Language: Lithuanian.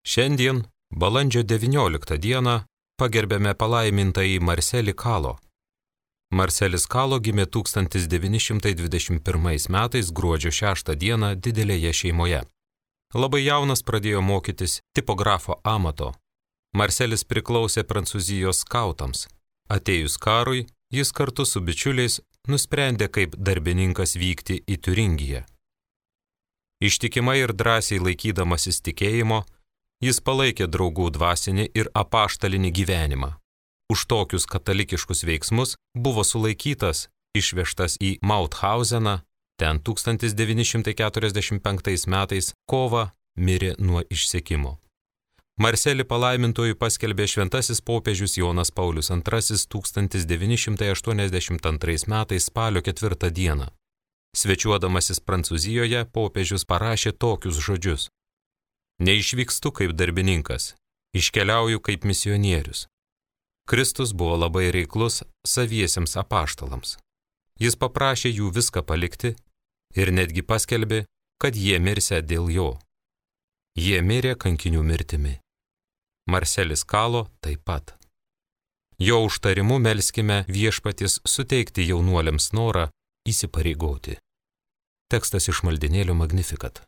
Šiandien, balandžio 19 dieną, pagerbėme palaimintąjį Marcelį Kalo. Marcelis Kalo gimė 1921 metais gruodžio 6 dieną didelėje šeimoje. Labai jaunas pradėjo mokytis tipografo amato. Marcelis priklausė Prancūzijos skautams. Atėjus karui, jis kartu su bičiuliais nusprendė kaip darbininkas vykti į Tiuringiją. Ištikimai ir drąsiai laikydamasis tikėjimo, jis palaikė draugų dvasinį ir apaštalinį gyvenimą. Už tokius katalikiškus veiksmus buvo sulaikytas, išvežtas į Mauthauseną, ten 1945 metais kovą mirė nuo išsekimo. Marcelį palaimintuoju paskelbė šventasis popiežius Jonas Paulius II 1982 metais spalio 4 dieną. Svečiuodamasis Prancūzijoje, popiežius parašė tokius žodžius: Neišvykstu kaip darbininkas, iškeliauju kaip misionierius. Kristus buvo labai reiklus saviesiems apaštalams. Jis paprašė jų viską palikti ir netgi paskelbė, kad jie mirsią dėl jo. Jie mirė kankinių mirtimi. Marcelis Kalo taip pat. Jo užtarimu melskime viešpaties suteikti jaunuoliams norą įsipareigoti. Tekstas iš maldinėlio Magnificat.